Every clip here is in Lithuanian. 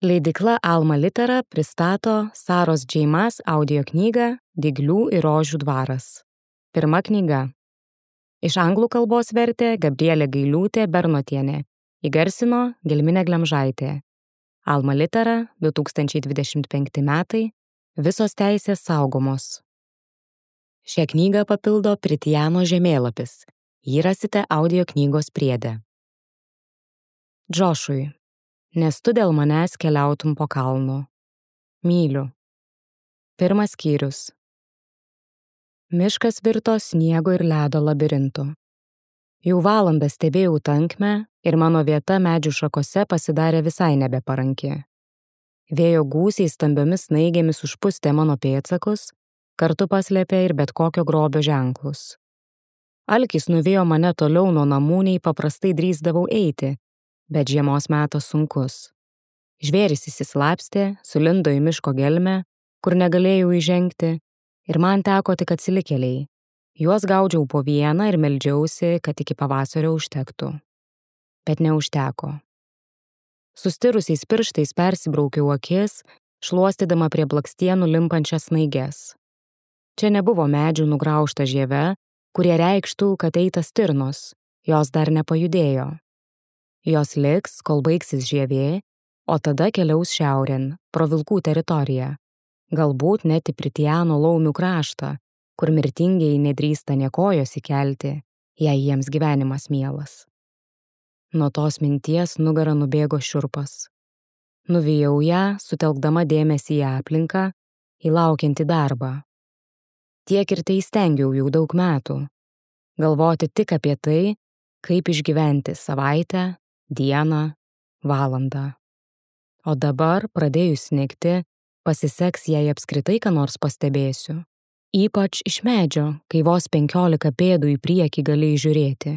Leidykla Alma Litera pristato Saros J. Maas audio knygą Dyglių ir rožių dvaras. Pirma knyga. Iš anglų kalbos vertė Gabrielė Gailiūtė Bernotienė, įgarsino Gelminė Glemžaitė. Alma Litera, 2025 metai, visos teisės saugomos. Šią knygą papildo Pritijano žemėlapis. Jį rasite audio knygos priede. Džošui. Nes tu dėl manęs keliautum po kalnu. Myliu. Pirmas skyrius. Miškas virto sniego ir ledo labirintu. Jau valandą stebėjau tankmę ir mano vieta medžių šakose pasidarė visai nebeparanki. Vėjo gūsiai stambiomis snaigėmis užpustė mano pėdsakus, kartu paslėpė ir bet kokio grobio ženklus. Alkis nuvijo mane toliau nuo namų, nei paprastai drįsdavau eiti, bet žiemos metas sunkus. Žvėris įsislapstė, sulindo į miško gelmę, kur negalėjau įžengti, ir man teko tik atsilikėliai. Juos gaudžiau po vieną ir meldžiausi, kad iki pavasario užtektų. Bet neužteko. Sustirusiais pirštais persibraukiau akis, šluostydama prie blakstienų limpančias snaiges. Čia nebuvo medžių nugraužta žieve, kurie reikštų, kad eita stirnos, jos dar nepajudėjo. Jos liks, kol baigsis žievė, o tada keliaus šiaurėn, pro vilkų teritoriją. Galbūt net į Pritijano laumių kraštą, kur mirtingieji nedrįsta nė kojos įkelti, jei jiems gyvenimas mielas. Nuo tos minties nugarą nubėgo šiurpas. Nuvijau ją, sutelkdama dėmesį į aplinką, į laukiantį darbą. Tiek ir tai stengiau jau daug metų. Galvoti tik apie tai, kaip išgyventi savaitę, dieną, valandą. O dabar, pradėjus snigti, pasiseks, jei apskritai ką nors pastebėsiu. Ypač iš medžio, kai vos 15 pėdų į priekį galėjai žiūrėti.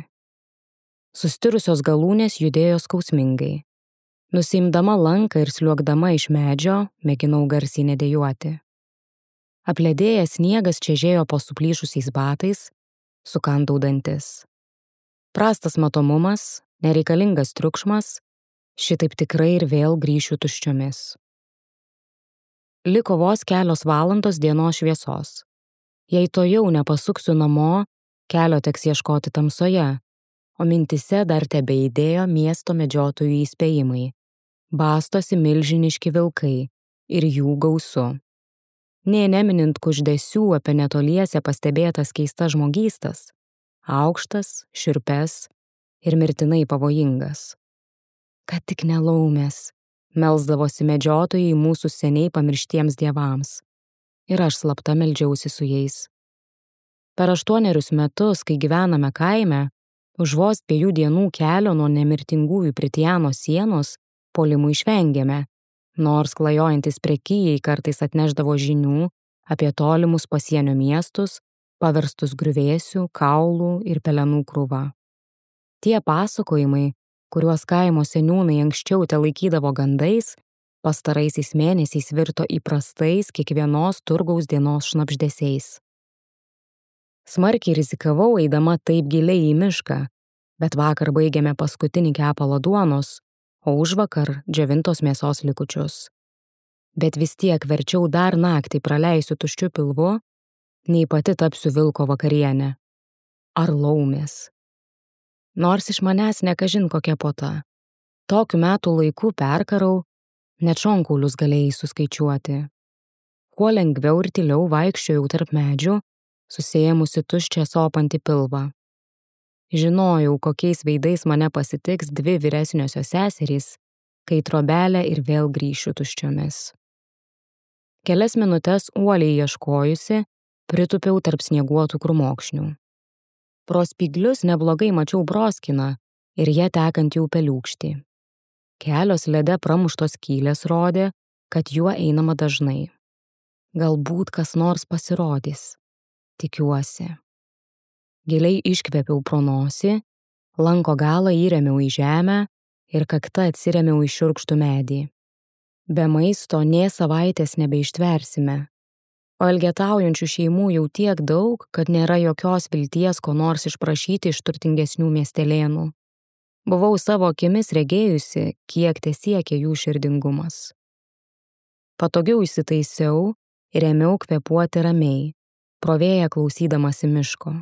Sustirusios galūnės judėjo skausmingai. Nusiimdama lanką ir sliuogdama iš medžio, mėginau garsiai nedejuoti. Apledėjęs sniegas čežėjo po suplyšusiais batais, sukandau dantis. Prastas matomumas, nereikalingas triukšmas, šitaip tikrai ir vėl grįšiu tuščiomis. Liko vos kelios valandos dienos šviesos. Jei to jau nepasuksiu namo, kelio teks ieškoti tamsoje, o mintise dar tebeidėjo miesto medžiotojų įspėjimai. Bastosi milžiniški vilkai ir jų gausu. Nė neminint kuždesių apie netoliese pastebėtas keistas žmogystas, aukštas, šiurpes ir mirtinai pavojingas. Kad tik ne laumės, melsdavosi medžiotojai mūsų seniai pamirštiems dievams, ir aš slapta meldžiausi su jais. Per 8 metus, kai gyvename kaime, už vos 2 dienų kelio nuo nemirtingųjų Pritijano sienos puolimų išvengėme, nors klajojantis prekijai kartais atnešdavo žinių apie tolimus pasienio miestus, paverstus griuvėsių, kaulų ir pelenų krūva. Tie pasakojimai, kuriuos kaimo seniūnai anksčiau telaikydavo gandais, pastaraisiais mėnesiais virto įprastais kiekvienos turgaus dienos šnabždesiais. Smarkiai rizikavau eidama taip giliai į mišką, bet vakar baigėme paskutinį kepalą duonos, o užvakar džiovintos mėsos likučius. Bet vis tiek verčiau dar naktį praleisiu tuščiu pilvu, nei pati tapsiu vilko vakarienę. Ar laumės. Nors iš manęs nekažin kokia puota. Tokiu metų laiku perkarau, net šonkaulius galėjai suskaičiuoti. Kuo lengviau ir tyliau vaikščiojau tarp medžių, susiėmusi tuščią sopantį pilvą. Žinojau, kokiais veidais mane pasitiks 2 vyresniosios seserys, kai trobelę ir vėl grįšiu tuščiomis. Kelias minutes uoliai ieškojusi, pritūpiau tarp snieguotų krūmokšnių. Pro spyglius neblogai mačiau broskiną ir ją tekantį upeliūkštį. Kelios lede pramuštos skylės rodė, kad juo einama dažnai. Galbūt kas nors pasirodys. Tikiuosi. Giliai iškvėpiau pro nosį, lanko galą įrėmiau į žemę ir kakta atsirėmiau į šiurkštų medį. Be maisto nė savaitės nebeištversime, o elgetaujančių šeimų jau tiek daug, kad nėra jokios vilties ko nors išprašyti iš turtingesnių miestelėnų. Buvau savo akimis regėjusi, kiek tesiekia jų širdingumas. Patogiau įsitaisiau ir ėmiau kvėpuoti ramiai, pro vėją klausydamasi miško.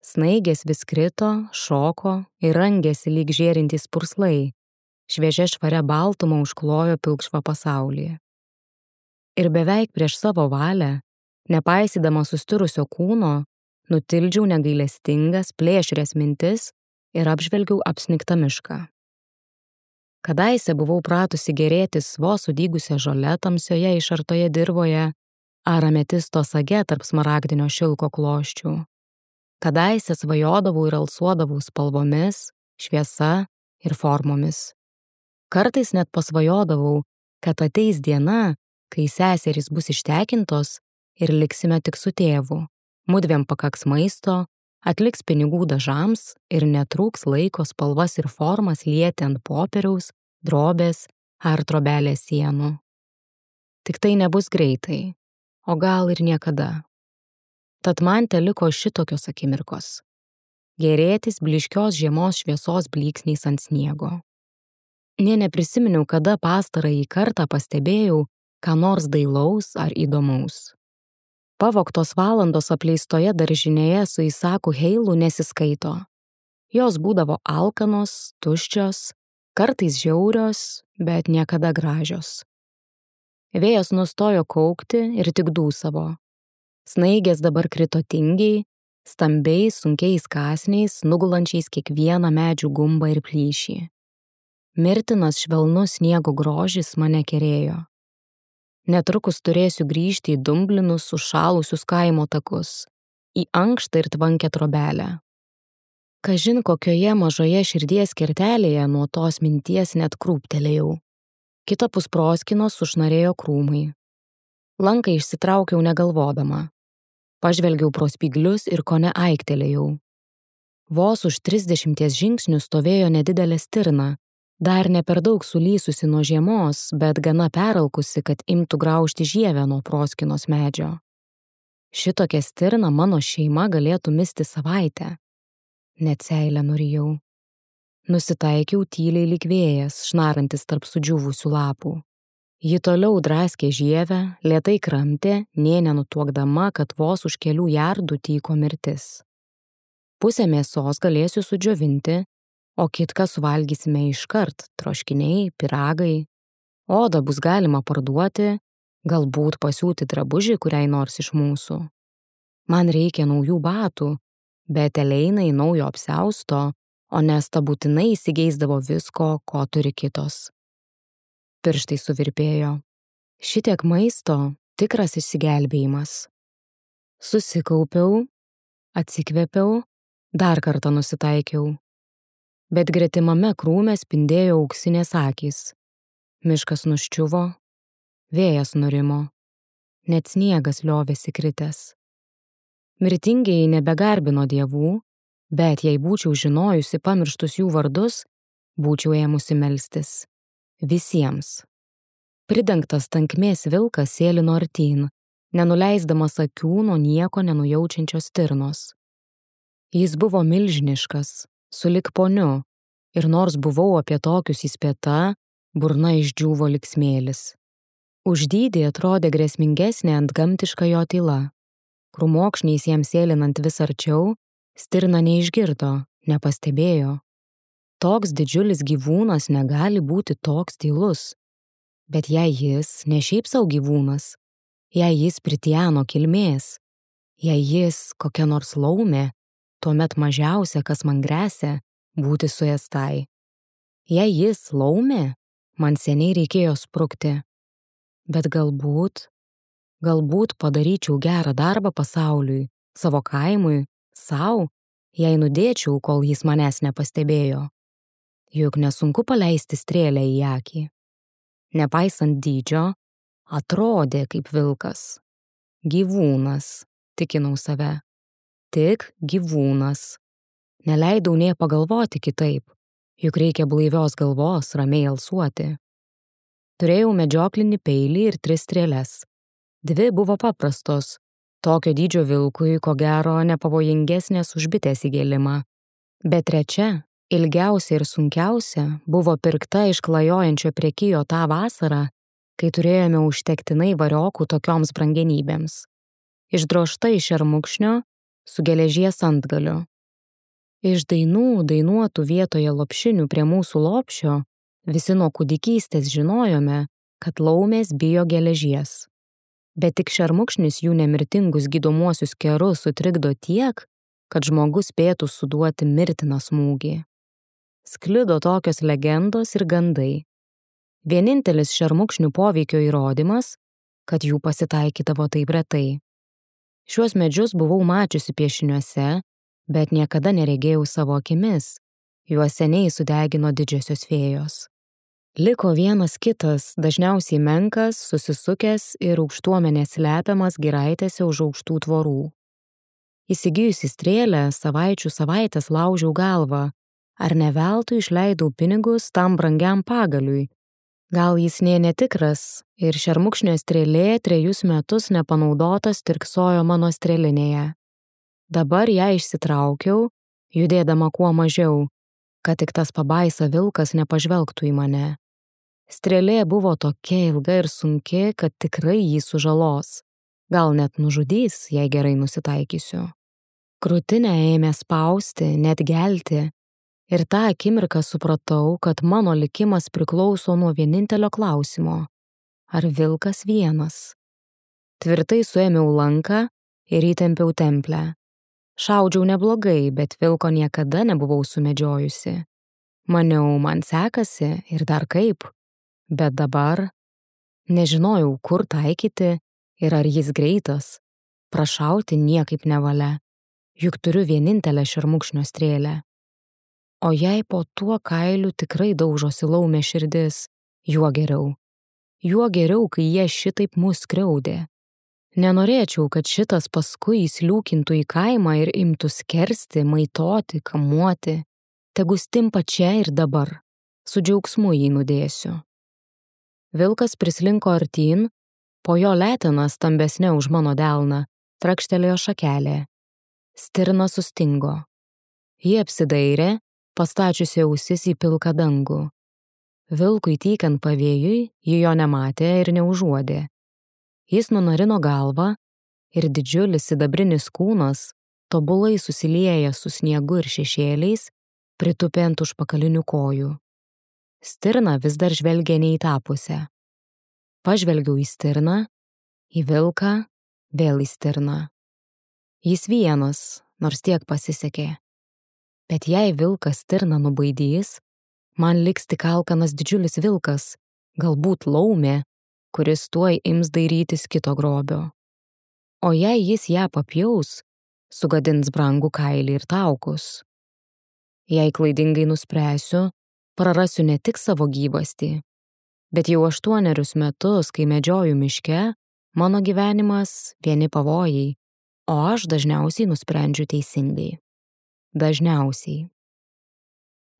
Snaigės vis krito, šoko ir rangėsi lyg žėrintys purslai, šviežia švaria baltuma užklojo pilkšvą pasaulį. Ir beveik prieš savo valią, nepaisydama sustirusio kūno, nutildžiau negailestingas, plėšrias mintis ir apžvelgiau apsnigtą mišką. Kadaise buvau pratusi gėrėtis vos sudygusią žolę tamsioje išartoje dirvoje ar ametisto sage tarp smaragdinio šilko kloščių. Kadaise svajodavau ir alsuodavau spalvomis, šviesa ir formomis. Kartais net pasvajodavau, kad ateis diena, kai seserys bus ištekintos ir liksime tik su tėvu. Mudviem pakaks maisto, atliks pinigų dažams ir netrūks laiko spalvas ir formas lieti ant popieriaus, drobės ar trobelės sienų. Tik tai nebus greitai, o gal ir niekada. Tad man teliko šitokios akimirkos. Gėrėtis blyškios žiemos šviesos blyksniais ant sniego. Nė neprisiminiau, kada pastarąjį kartą pastebėjau ką nors dailaus ar įdomaus. Pavogtos valandos apleistoje daržinėje su Isaku Heilu nesiskaito. Jos būdavo alkanos, tuščios, kartais žiaurios, bet niekada gražios. Vėjas nustojo kaukti ir tik dūsavo. Snaigės dabar krito tingiai, stambiais, sunkiais kąsniais, nugulančiais kiekvieną medžių gumbą ir plyšį. Mirtinas švelnus sniego grožis mane kerėjo. Netrukus turėsiu grįžti į dumblinus užšalusius kaimo takus, į ankštą ir tvankę trobelę. Kažin kokioje mažoje širdies kertelėje nuo tos minties net krūptelėjau. Kitapus proskynos sušnarėjo krūmai. Lanką išsitraukiau negalvodama. Pažvelgiau pro spyglius ir kone aiktelėjau. Vos už 30 žingsnių stovėjo nedidelė stirna, dar ne per daug sulysusi nuo žiemos, bet gana peralkusi, kad imtų graužti žievę nuo proskynos medžio. Šitokią stirną mano šeima galėtų misti savaitę. Net seilę nurijau. Nusitaikiau tyliai lyg vėjas, šnarantis tarp sudžiūvusių lapų. Ji toliau draskė žievę, lėtai kramtė, nė nenutuokdama, kad vos už kelių jardų tyko mirtis. Pusę mėsos galėsiu sudžiovinti, o kitką suvalgysime iškart, troškiniai, piragai. Odą bus galima parduoti, galbūt pasiūti drabužį kuriai nors iš mūsų. Man reikia naujų batų, bet Eleinai naujo apsiausto, o Nesta būtinai įsigeisdavo visko, ko turi kitos. Pirštai suvirpėjo. Šitiek maisto tikras išsigelbėjimas. Susikaupiau, atsikvėpiau, dar kartą nusitaikiau. Bet gretimame krūme spindėjo auksinės akys. Miškas nuščiuvo, vėjas nurimo, net sniegas liovėsi kritęs. Mirtingieji nebegarbino dievų, bet jei būčiau žinojusi pamirštus jų vardus, būčiau ėmusi melstis. Visiems. Pridengtas tankmės vilkas sėlino artyn, nenuleisdamas akių nuo nieko nenujaučiančios stirnos. Jis buvo milžiniškas, sulig poniu, ir nors buvau apie tokius įspėta, burna išdžiūvo lyg smėlis. Už dydį atrodė grėsmingesnė antgamtiška jo tyla. Krūmokšniais jiems sėlinant vis arčiau, stirna neišgirdo, nepastebėjo. Toks didžiulis gyvūnas negali būti toks tylus. Bet jei jis ne šiaip sau gyvūnas, jei jis pritiano kilmės, jei jis kokia nors laumė, tuomet mažiausia, kas man gresia, būti suėstai. Jei jis laumė, man seniai reikėjo sprukti. Bet galbūt padaryčiau gerą darbą pasauliui, savo kaimui, sau, jei nudėčiau, kol jis manęs nepastebėjo. Juk nesunku paleisti strėlę į akį. Nepaisant dydžio, atrodė kaip vilkas. Gyvūnas, tikinau save. Tik gyvūnas. Neleidau nė pagalvoti kitaip, juk reikia blaivios galvos ramiai alsuoti. Turėjau medžioklinį peilį ir 3 strėles. 2 buvo paprastos, tokio dydžio vilkui, ko gero, nepavojingesnės už bitės įgėlimą. Bet 3 Ilgiausia ir sunkiausia buvo pirkta iš klajojančio prekijo tą vasarą, kai turėjome užtektinai variokų tokioms brangenybėms. Išdrožta iš šermukšnio su geležies antgaliu. Iš dainų dainuotų vietoje lopšinių prie mūsų lopšio visi nuo kūdikystės žinojome, kad laumės bijo geležies. Bet tik šermukšnis jų nemirtingus gydomuosius kerus sutrikdo tiek, kad žmogus spėtų suduoti mirtiną smūgį. Sklido tokios legendos ir gandai. Vienintelis šermukšnių poveikio įrodymas, kad jų pasitaikydavo taip retai. Šiuos medžius buvau mačiusi piešiniuose, bet niekada neregėjau savo akimis. Juos seniai sudegino didžiosios fėjos. Liko vienas kitas, dažniausiai menkas, susisukęs ir aukštuomenės slepiamas giraitėse už aukštų tvorų. Įsigijusi strėlę, savaičių savaites laužiau galvą, ar ne veltui išleidau pinigus tam brangiam pagaliui. Gal jis nė netikras ir šermukšnio strėlė 3 metus nepanaudotas tirksojo mano strėlinėje. Dabar ją išsitraukiau, judėdama kuo mažiau, kad tik tas pabaisa vilkas nepažvelgtų į mane. Strėlė buvo tokia ilga ir sunki, kad tikrai jį sužalos. Gal net nužudys, jei gerai nusitaikysiu. Krūtinę ėmė spausti, net gelti. Ir tą akimirką supratau, kad mano likimas priklauso nuo vienintelio klausimo. Ar vilkas vienas? Tvirtai suėmiau lanką ir įtempiau templę. Šaudžiau neblogai, bet vilko niekada nebuvau sumedžiojusi. Maniau, man sekasi ir dar kaip. Bet dabar nežinojau, kur taikyti ir ar jis greitas. Prašauti niekaip nevalia, juk turiu vienintelę šermukšnio strėlę. O jei po tuo kailiu tikrai daužosi laumė širdis, juo geriau. Juo geriau, kai jie šitaip mus skriaudė. Nenorėčiau, kad šitas paskui įsliūkintų į kaimą ir imtų skersti, maitoti, kamuoti. Tegu stimpa čia ir dabar. Su džiaugsmu jį nudėsiu. Vilkas prislinko artyn, po jo letena stambesnė už mano delną, trakštelėjo šakelė. Stirna sustingo. Ji apsidairė, pastačiusi ausis į pilką dangų. Vilkui tykant pavėjui, ji jo nematė ir neužuodė. Jis nunarino galvą ir didžiulis sidabrinis kūnas, tobulai susiliejęs su sniegu ir šešėliais, pritupė ant užpakalinių kojų. Stirna vis dar žvelgė ne į tą pusę. Pažvelgiau į stirną, į vilką, vėl į stirną. Jis vienas, nors tiek pasisekė. Bet jei vilkas stirną nubaidys, man liks tik alkanas didžiulis vilkas, galbūt laumė, kuris tuoj ims dairytis kito grobio. O jei jis ją papjaus, sugadins brangų kailį ir taukus. Jei klaidingai nuspręsiu, prarasiu ne tik savo gyvastį, bet jau 8 metus, kai medžioju miške, mano gyvenimas vieni pavojai, o aš dažniausiai nusprendžiu teisingai. Dažniausiai.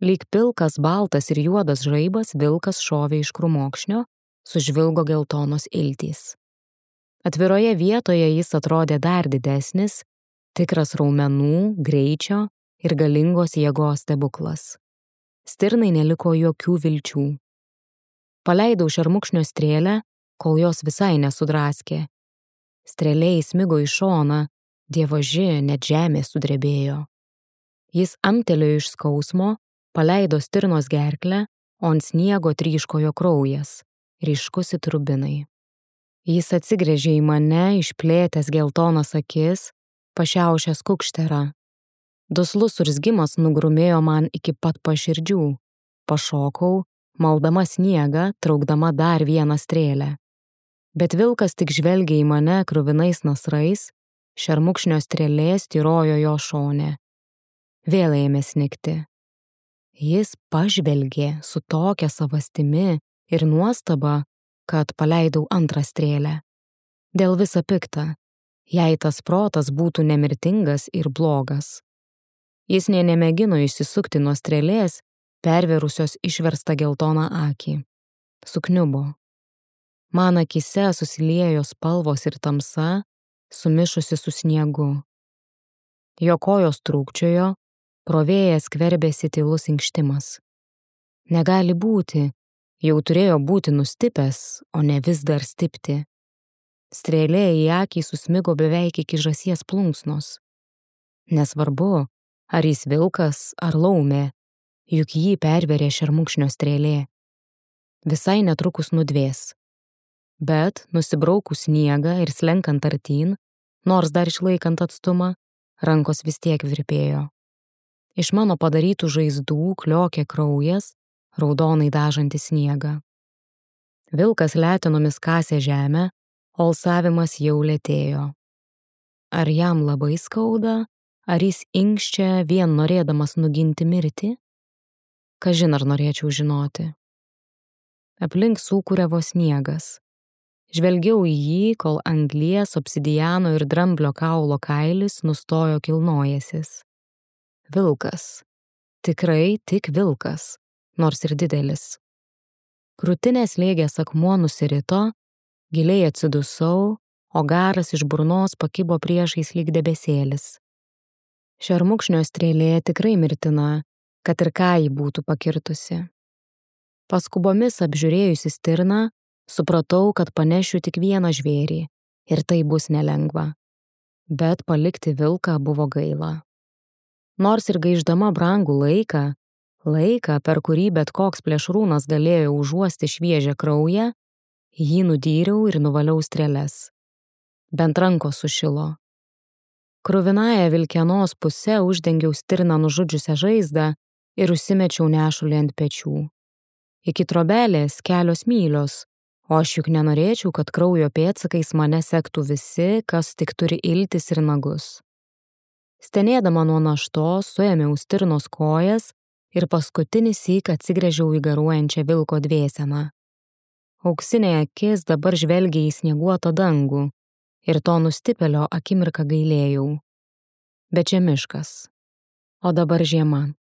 Lyg pilkas, baltas ir juodas žaibas vilkas šovė iš krūmokšnio, sužvilgo geltonos iltys. Atviroje vietoje jis atrodė dar didesnis, tikras raumenų, greičio ir galingos jėgos stebuklas. Stirnai neliko jokių vilčių. Paleidau šermukšnio strėlę, kol jos visai nesudraskė. Strėlė įsmigo į šoną, dievaži, net žemė sudrebėjo. Jis amtelėjo iš skausmo, paleido stirnos gerklę, o ant sniego tryškojo kraujas, ryškus it rubinai. Jis atsigręžė į mane, išplėtęs geltonas akis, pašiaušęs kukšterą. Duslus urzgimas nugrumėjo man iki pat paširdžių. Pašokau, maldama sniegą, traukdama dar vieną strėlę. Bet vilkas tik žvelgė į mane kruvinais nasrais, šermukšnio strėlė styrojo jo šone. Vėl ėmė snigti. Jis pažvelgė su tokia savastimi ir nuostaba, kad paleidau antrą strėlę. Dėl visa pikta, jei tas protas būtų nemirtingas ir blogas. Jis nė nemėgino išsisukti nuo strėlės, perverusios išverstą geltoną akį. Sukniubo. Man akyse susiliejo spalvos ir tamsa, sumišusi su sniegu. Jo kojos trūkčiojo, Pro vėją skverbėsi tylus inkštimas. Negali būti, jau turėjo būti nustipęs, o ne vis dar stipti. Strėlė į akį susmigo beveik iki žąsies plunksnos. Nesvarbu, ar jis vilkas ar laumė, juk jį perverė šermukšnio strėlė. Visai netrukus nudvės. Bet, nusibraukus sniegą ir slenkant artyn, nors dar išlaikant atstumą, rankos vis tiek virpėjo. Iš mano padarytų žaizdų kliokė kraujas, raudonai dažantis sniegą. Vilkas letenomis kasė žemę, o alsavimas jau lėtėjo. Ar jam labai skauda, ar jis inkščia vien norėdamas nuginti mirtį? Kažin ar norėčiau žinoti. Aplink sūkuriavo sniegas. Žvelgiau į jį, kol anglies, obsidiano ir dramblio kaulo kailis nustojo kilnojęsis. Vilkas. Tikrai tik vilkas, nors ir didelis. Krūtinės slėgęs akmuo nusirito, giliai atsidusau, o garas iš burnos pakibo priešais lyg debesėlis. Šermukšnio strėlė tikrai mirtina, kad ir ką ji būtų pakirtusi. Paskubomis apžiūrėjusi stirną, supratau, kad panešiu tik vieną žvėrį ir tai bus nelengva. Bet palikti vilką buvo gaila. Nors ir gaišdama brangų laiką, per kurį bet koks plėšrūnas galėjo užuosti šviežią kraują, jį nudyriau ir nuvaliau strėles. Bent rankos sušilo. Kruvinąją vilkenos pusę uždengiau stirną nužudžiusią žaizdą ir užsimečiau nešulį ant pečių. Iki trobelės kelios mylios, o aš juk nenorėčiau, kad kraujo pėdsakais mane sektų visi, kas tik turi iltis ir nagus. Stenėdama nuo naštos, suėmiau stirnos kojas ir paskutinį syk atsigręžiau į garuojančią vilko dvėseną. Auksinė akis dabar žvelgia į snieguotą dangų ir to nustipėlio akimirką gailėjau. Bet čia miškas, o dabar žiema.